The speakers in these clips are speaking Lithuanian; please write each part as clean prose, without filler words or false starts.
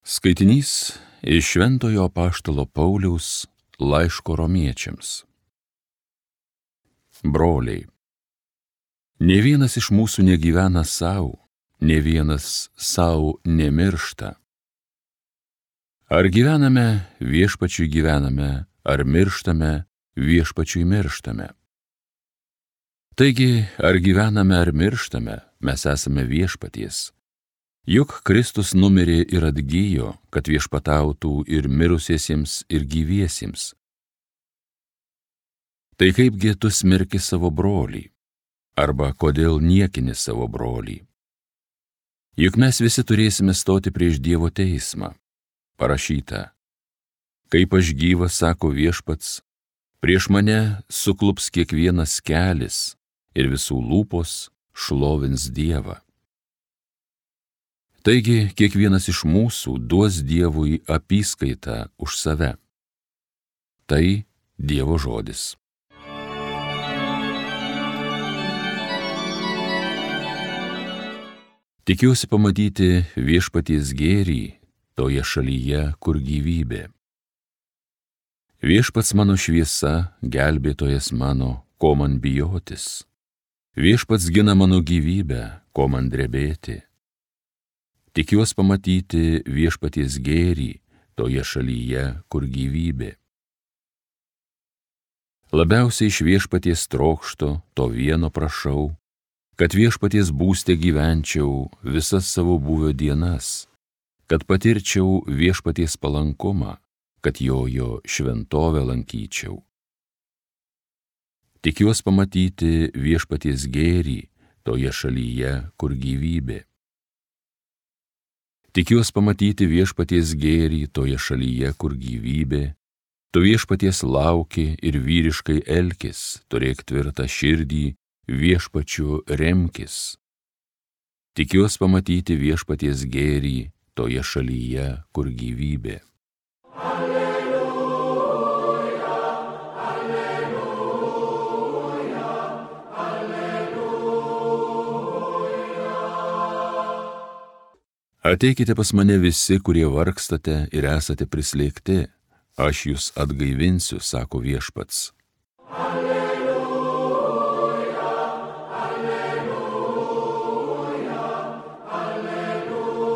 Skaitinys iš Šventojo apaštalo Pauliaus laiško Romiečiams. Broliai, nė vienas iš mūsų negyvena savo, nė vienas savo nemiršta. Ar gyvename, viešpačiui gyvename, ar mirštame, viešpačiui mirštame. Taigi, ar gyvename, ar mirštame, mes esame viešpaties. Juk Kristus numirė ir atgyjo, kad viešpatautų ir mirusiesiems, ir gyviesiems. Tai kaipgi tu smerki savo brolį, arba kodėl niekini savo brolį? Juk mes visi turėsime stoti prieš Dievo teismą. Parašyta: kaip aš gyvas, sako viešpats, prieš mane suklups kiekvienas kelis ir visų lūpos šlovins Dievą. Taigi, kiekvienas iš mūsų duos Dievui apyskaitą už save. Tai Dievo žodis. Tikiuosi pamatyti viešpaties gėrį toje šalyje, kur gyvybė. Viešpats mano šviesa, gelbėtojas mano, ko man bijotis. Viešpats gina mano gyvybę, ko man drebėti. Tikiuosi pamatyti viešpaties gėrį toje šalyje, kur gyvybė. Labiausiai iš viešpaties trokšto, to vieno prašau, kad viešpaties būste gyvenčiau visas savo buvio dienas, kad patirčiau viešpaties palankumą, kad jo šventovę lankyčiau. Tikiuosi pamatyti viešpaties gėrį toje šalyje, kur gyvybė. Tikiuosi pamatyti viešpaties gėrį toje šalyje, kur gyvybė. Tu viešpaties lauki ir vyriškai elkis, turėk tvirtą širdį, viešpačiu remkis. Tikiuosi pamatyti viešpaties gėrį toje šalyje, kur gyvybė. Ateikite pas mane visi, kurie vargstate ir esate prislėgti, aš jūs atgaivinsiu, sako viešpats. Alleluja, alleluja, alleluja.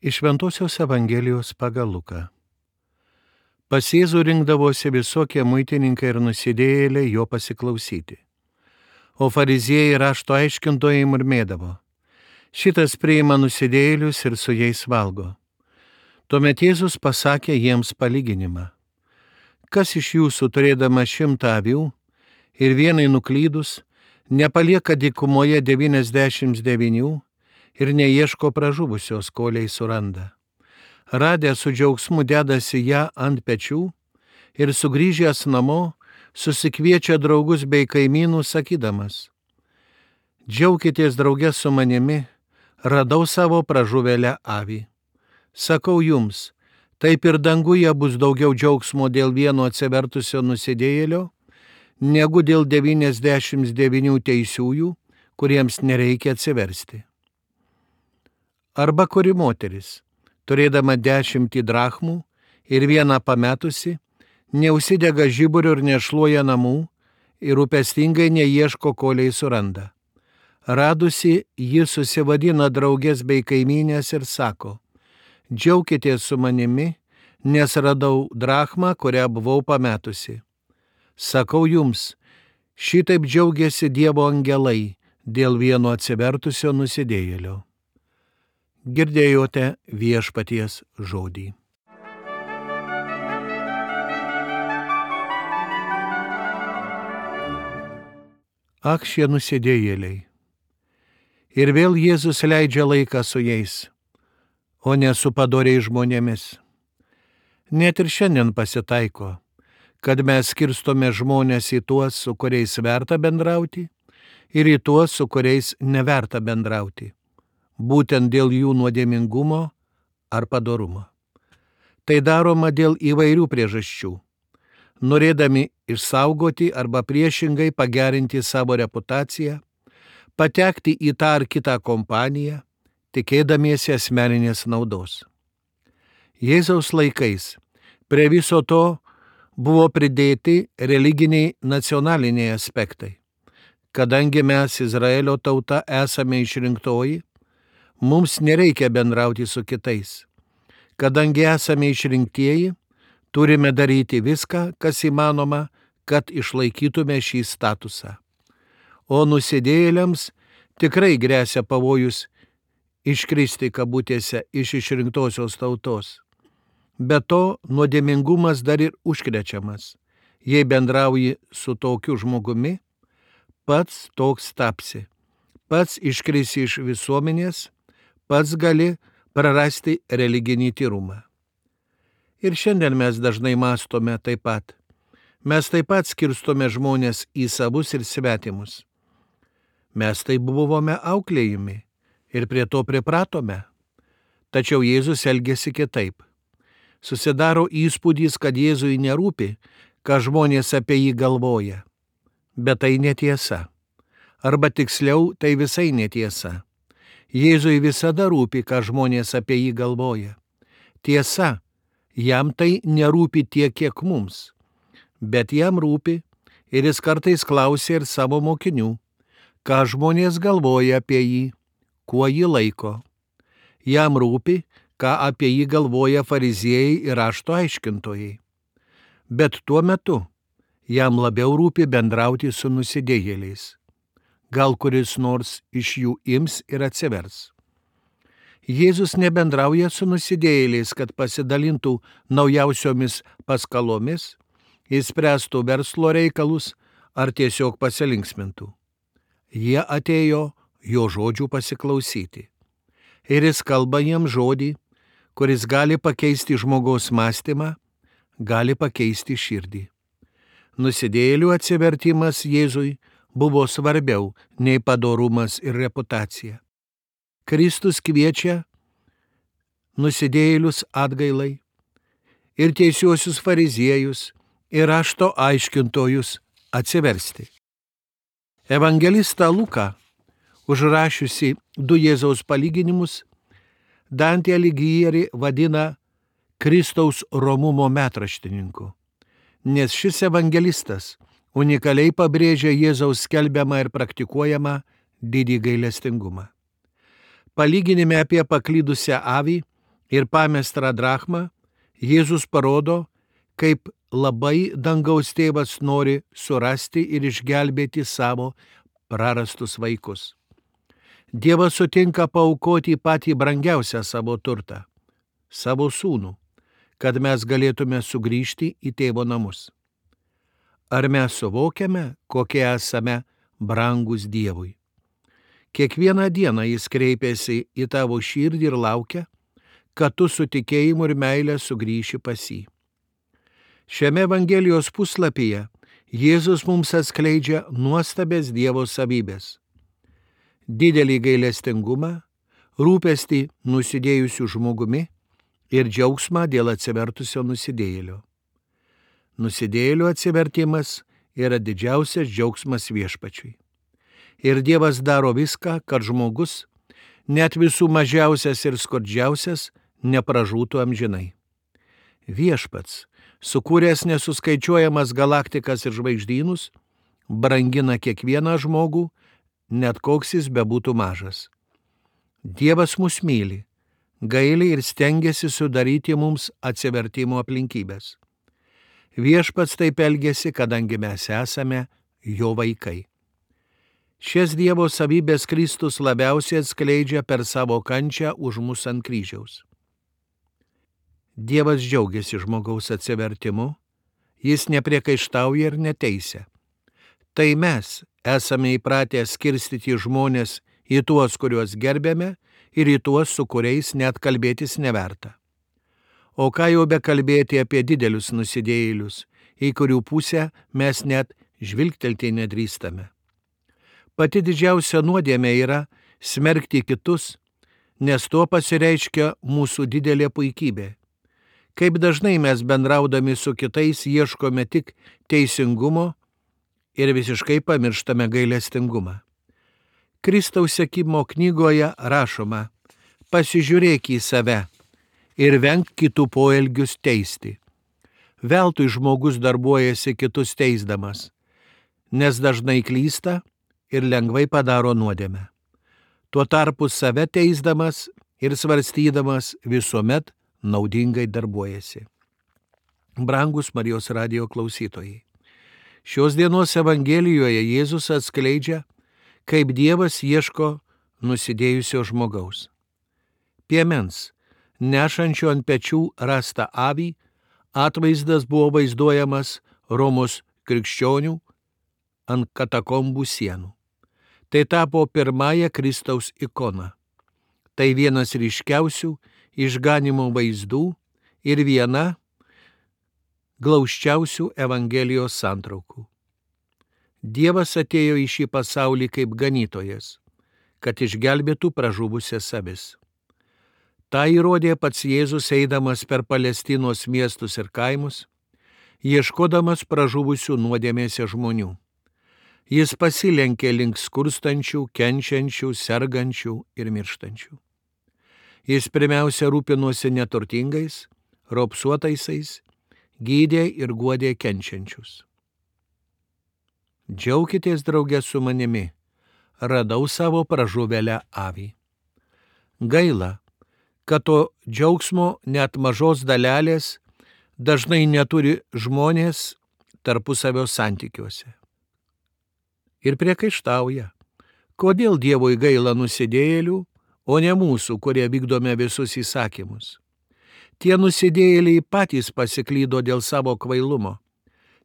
Iš Šventosios Evangelijos pagal Luką. Pas Jėzų rinkdavosi visokie muitininkai ir nusidėjėliai jo pasiklausyti. O fariziejai rašto aiškintojai murmėdavo: šitas priima nusidėjėlius ir su jais valgo. Tuomet Jėzus pasakė jiems palyginimą: kas iš jūsų, turėdama 100 avių ir vienai nuklydus, nepalieka dykumoje 99 ir neieško pražuvusios, kol jai suranda. Radę su džiaugsmu dedasi ją ant pečių ir sugrįžęs namo susikviečia draugus bei kaimynus, sakydamas: džiaukitės drauge su manimi, radau savo pražuvėlę avį. Sakau jums, taip ir danguje bus daugiau džiaugsmo dėl vieno atsivertusio nusidėjėlio, negu dėl 99 teisiųjų, kuriems nereikia atsiversti. Arba kuri moteris, turėdama 10 drachmų ir vieną pametusi, neužsidega žiburiu ir nešluoja namų ir rūpestingai neieško, kol jai suranda. Radusi, ji susivadina draugės bei kaimynės ir sako: džiaukitės su manimi, nes radau drachmą, kurią buvau pametusi. Sakau jums, šitaip džiaugiasi Dievo angelai dėl vieno atsivertusio nusidėjėlio. Girdėjote viešpaties žodį. Ak, šie nusidėjėliai. Ir vėl Jėzus leidžia laiką su jais, o ne su padoriais žmonėmis. Net ir šiandien pasitaiko, kad mes skirstome žmonės į tuos, su kuriais verta bendrauti, ir į tuos, su kuriais neverta bendrauti, būtent dėl jų nuodėmingumo ar padorumo. Tai daroma dėl įvairių priežasčių. Norėdami išsaugoti arba priešingai pagerinti savo reputaciją, patekti į tą ar kitą kompaniją, tikėdamiesi asmeninės naudos. Jėzaus laikais prie viso to buvo pridėti religiniai nacionaliniai aspektai. Kadangi mes, Izraelio tauta, esame išrinktoji, mums nereikia bendrauti su kitais. Kadangi esame išrinktieji, turime daryti viską, kas įmanoma, kad išlaikytume šį statusą. O nusidėjėliams tikrai gresia pavojus iškristi kabutėse iš išrinktosios tautos. Be to, nuodėmingumas dar ir užkrečiamas. Jei bendrauji su tokiu žmogumi, pats toks tapsi. Pats iškrisi iš visuomenės, pats gali prarasti religinį tyrumą. Ir šiandien mes dažnai mąstome taip pat. Mes taip pat skirstome žmonės į savus ir svetimus. Mes taip buvome auklėjami ir prie to pripratome. Tačiau Jėzus elgėsi kitaip. Susidaro įspūdis, kad Jėzui nerūpi, ką žmonės apie jį galvoja. Bet tai netiesa. Arba tiksliau, tai visai netiesa. Jėzui visada rūpi, ką žmonės apie jį galvoja. Tiesa, jam tai nerūpi tiek, kiek mums. Bet jam rūpi ir jis kartais klausia ir savo mokinių, ką žmonės galvoja apie jį, kuo jį laiko. Jam rūpi, ką apie jį galvoja fariziejai ir rašto aiškintojai. Bet tuo metu jam labiau rūpi bendrauti su nusidėjėliais. Gal kuris nors iš jų ims ir atsivers. Jėzus nebendrauja su nusidėjėliais, kad pasidalintų naujausiomis paskalomis, išspręstų verslo reikalus ar tiesiog pasilinksmintų. Jie atėjo jo žodžių pasiklausyti. Ir jis kalba jiems žodį, kuris gali pakeisti žmogaus mąstymą, gali pakeisti širdį. Nusidėjėlių atsivertimas Jėzui buvo svarbiau nei padorumas ir reputacija. Kristus kviečia nusidėjėlius atgailai ir teisiuosius fariziejus ir rašto aiškintojus atsiversti. Evangelistą Luką, užrašiusi 2 Jėzaus palyginimus, Dantė Alighieri vadina Kristaus romumo metraštininku, nes šis evangelistas unikaliai pabrėžia Jėzaus skelbiamą ir praktikuojamą didį gailestingumą. Palyginime apie paklydusią avį ir pamestą drachmą Jėzus parodo, kaip labai dangaus tėvas nori surasti ir išgelbėti savo prarastus vaikus. Dievas sutinka paaukoti patį brangiausią savo turtą, savo sūnų, kad mes galėtume sugrįžti į tėvo namus. Ar mes suvokiame, kokie esame brangus Dievui? Kiekvieną dieną jis kreipiasi į tavo širdį ir laukia, kad tu su tikėjimu ir meile sugrįši pas jį. Šiame Evangelijos puslapyje Jėzus mums atskleidžia nuostabės Dievo savybės. Didelį gailestingumą, rūpestį nusidėjusių žmogumi ir džiaugsmą dėl atsivertusio nusidėjėlio. Nusidėjėlio atsivertimas yra didžiausias džiaugsmas Viešpačiui. Ir Dievas daro viską, kad žmogus, net visų mažiausias ir skurdžiausias, nepražūtų amžinai. Viešpats, sukūręs nesuskaičiuojamas galaktikas ir žvaigždynus, brangina kiekvieną žmogų, net koks jis bebūtų mažas. Dievas mus myli, gaili ir stengiasi sudaryti mums atsivertimo aplinkybės. Viešpats taip elgiasi, kadangi mes esame jo vaikai. Šias Dievo savybės Kristus labiausiai atskleidžia per savo kančią už mus ant kryžiaus. Dievas džiaugiasi žmogaus atsivertimu, jis nepriekaištauja ir neteisia. Tai mes esame įpratę skirstyti žmonės į tuos, kuriuos gerbėme, ir į tuos, su kuriais net kalbėtis neverta. O ką jau bekalbėti apie didelius nusidėjėlius, į kurių pusę mes net žvilgtelti nedrįstame. Pati didžiausia nuodėmė yra smerkti kitus, nes tuo pasireiškia mūsų didelė puikybė. Kaip dažnai mes bendraudami su kitais ieškome tik teisingumo ir visiškai pamirštame gailestingumą. Kristaus sekimo knygoje rašoma: pasižiūrėk į save ir venk kitų poelgius teisti. Veltui žmogus darbuojasi kitus teisdamas, nes dažnai klysta ir lengvai padaro nuodėmę. Tuo tarpu save teisdamas ir svarstydamas visuomet naudingai darbuojasi. Brangus Marijos radijo klausytojai, šios dienos Evangelijoje Jėzus atskleidžia, kaip Dievas ieško nusidėjusio žmogaus. Piemens, nešančio ant pečių rastą avį, atvaizdas buvo vaizduojamas Romos krikščionių ant katakombų sienų. Tai tapo pirmąją Kristaus ikoną. Tai vienas ryškiausių išganimo vaizdų ir viena glausčiausių Evangelijos santraukų. Dievas atėjo į šį pasaulį kaip ganytojas, kad išgelbėtų pražuvusias avis. Ta įrodė pats Jėzus eidamas per Palestinos miestus ir kaimus, ieškodamas pražuvusių nuodėmėse žmonių. Jis pasilenkė link skurstančių, kenčiančių, sergančių ir mirštančių. Jis pirmiausia rūpinosi neturtingais, raupsuotaisiais, gydė ir guodė kenčiančius. Džiaukitės drauge su manimi, radau savo pražuvėlę avį. Gaila, kad to džiaugsmo net mažos dalelės dažnai neturi žmonės tarpusavio santykiuose. Ir priekaištauja, kodėl Dievui gaila nusidėjėlių, o ne mūsų, kurie vykdome visus įsakymus. Tie nusidėjėliai patys pasiklydo dėl savo kvailumo,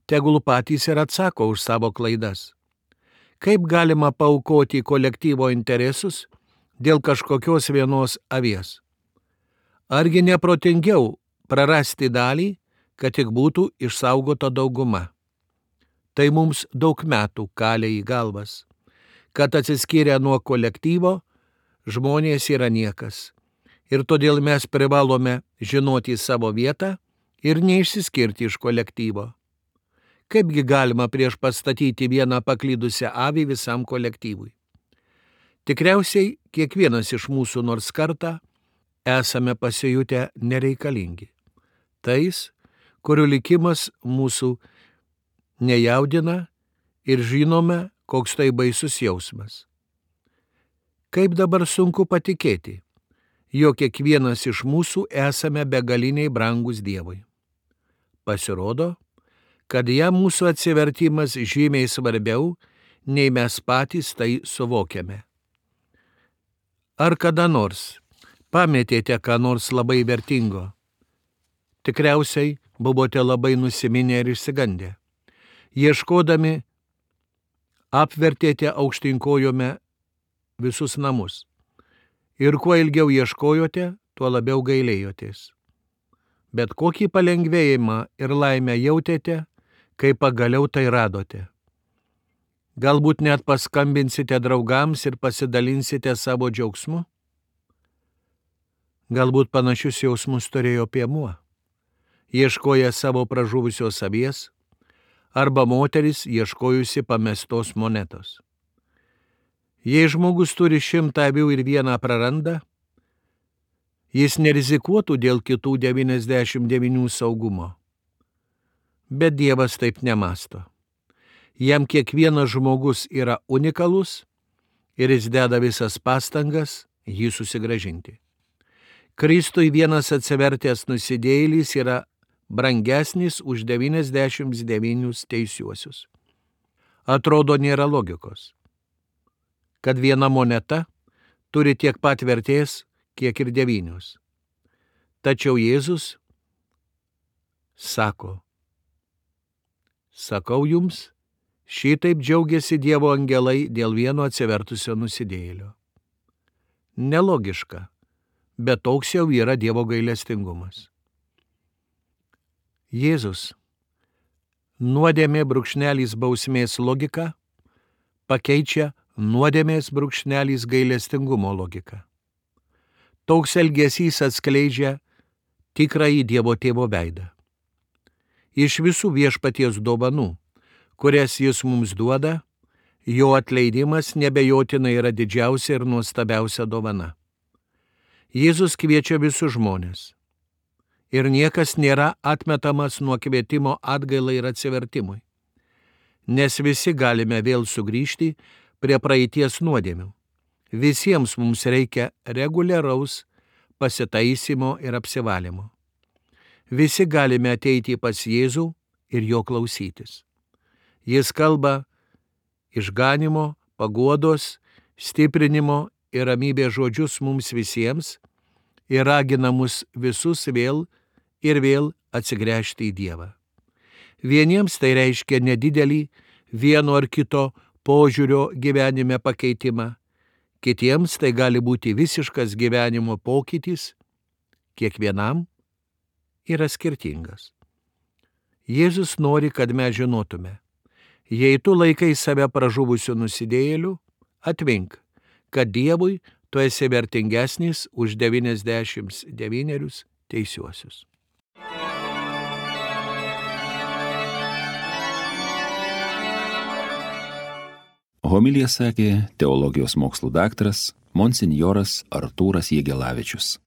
tegul patys ir atsako už savo klaidas. Kaip galima paaukoti kolektyvo interesus dėl kažkokios vienos avies? Argi neprotingiau prarasti dalį, kad tik būtų išsaugota dauguma? Tai mums daug metų kalė į galvas, kad atsiskyrę nuo kolektyvo, žmonės yra niekas. Ir todėl mes privalome žinoti savo vietą ir neišsiskirti iš kolektyvo. Kaipgi galima prieš pastatyti vieną paklydusią avį visam kolektyvui? Tikriausiai kiekvienas iš mūsų nors kartą esame pasijutę nereikalingi. Tais, kurių likimas mūsų nejaudina ir žinome, koks tai baisus jausmas. Kaip dabar sunku patikėti, jog kiekvienas iš mūsų esame begaliniai brangus Dievui. Pasirodo, kad jam mūsų atsivertimas žymiai svarbiau, nei mes patys tai suvokiame. Ar kada nors pametėte ką nors labai vertingo? Tikriausiai buvote labai nusiminę ir išsigandę. Ieškodami apvertėte aukštinkojome visus namus. Ir kuo ilgiau ieškojote, tuo labiau gailėjotės. Bet kokį palengvėjimą ir laimę jautėte, kai pagaliau tai radote. Galbūt net paskambinsite draugams ir pasidalinsite savo džiaugsmu? Galbūt panašius jausmus turėjo piemuo, ieškoja savo pražuvusios avies, arba moteris ieškojusi pamestos monetos. Jei žmogus turi 100 avių ir vieną praranda, jis nerizikuotų dėl kitų 99 saugumo. Bet Dievas taip nemąsto. Jam kiekvienas žmogus yra unikalus ir jis deda visas pastangas jį susigrąžinti. Kristui vienas atsivertęs nusidėjėlis yra brangesnis už 99 teisiuosius. Atrodo, nėra logikos, kad viena moneta turi tiek pat vertės, kiek ir 9. Tačiau Jėzus sako, sakau jums, šitaip džiaugiasi Dievo angelai dėl vieno atsivertusio nusidėjėlio. Nelogiška, bet toks jau yra Dievo gailestingumas. Jėzus nuodėmė brūkšnelis bausmės logiką pakeičia nuodėmės brūkšnelis gailestingumo logiką. Toks elgesys atskleidžia tikrąjį Dievo Tėvo veidą. Iš visų viešpaties dovanų, kurias jis mums duoda, Jo atleidimas nebejotinai yra didžiausia ir nuostabiausia dovana. Jėzus kviečia visus žmones. Ir niekas nėra atmetamas nuo kvietimo atgailai ir atsivertimui. Nes visi galime vėl sugrįžti prie praeities nuodėmių. Visiems mums reikia reguliaraus pasitaisymo ir apsivalymo. Visi galime ateiti pas Jėzų ir jo klausytis. Jis kalba išganimo, paguodos, stiprinimo ir ramybės žodžius mums visiems ir ragina mus visus vėl ir vėl atsigręžti į Dievą. Vieniems tai reiškia nedidelį vieno ar kito požiūrio gyvenime pakeitimą, kitiems tai gali būti visiškas gyvenimo pokytis, kiekvienam yra skirtingas. Jėzus nori, kad mes žinotume, jei tu laikai save pražuvusiu nusidėjėliu, atmink, kad Dievui tu esi vertingesnis už 99 teisiuosius. Homiliją sakė teologijos mokslų daktaras monsinjoras Artūras Jegelavičius.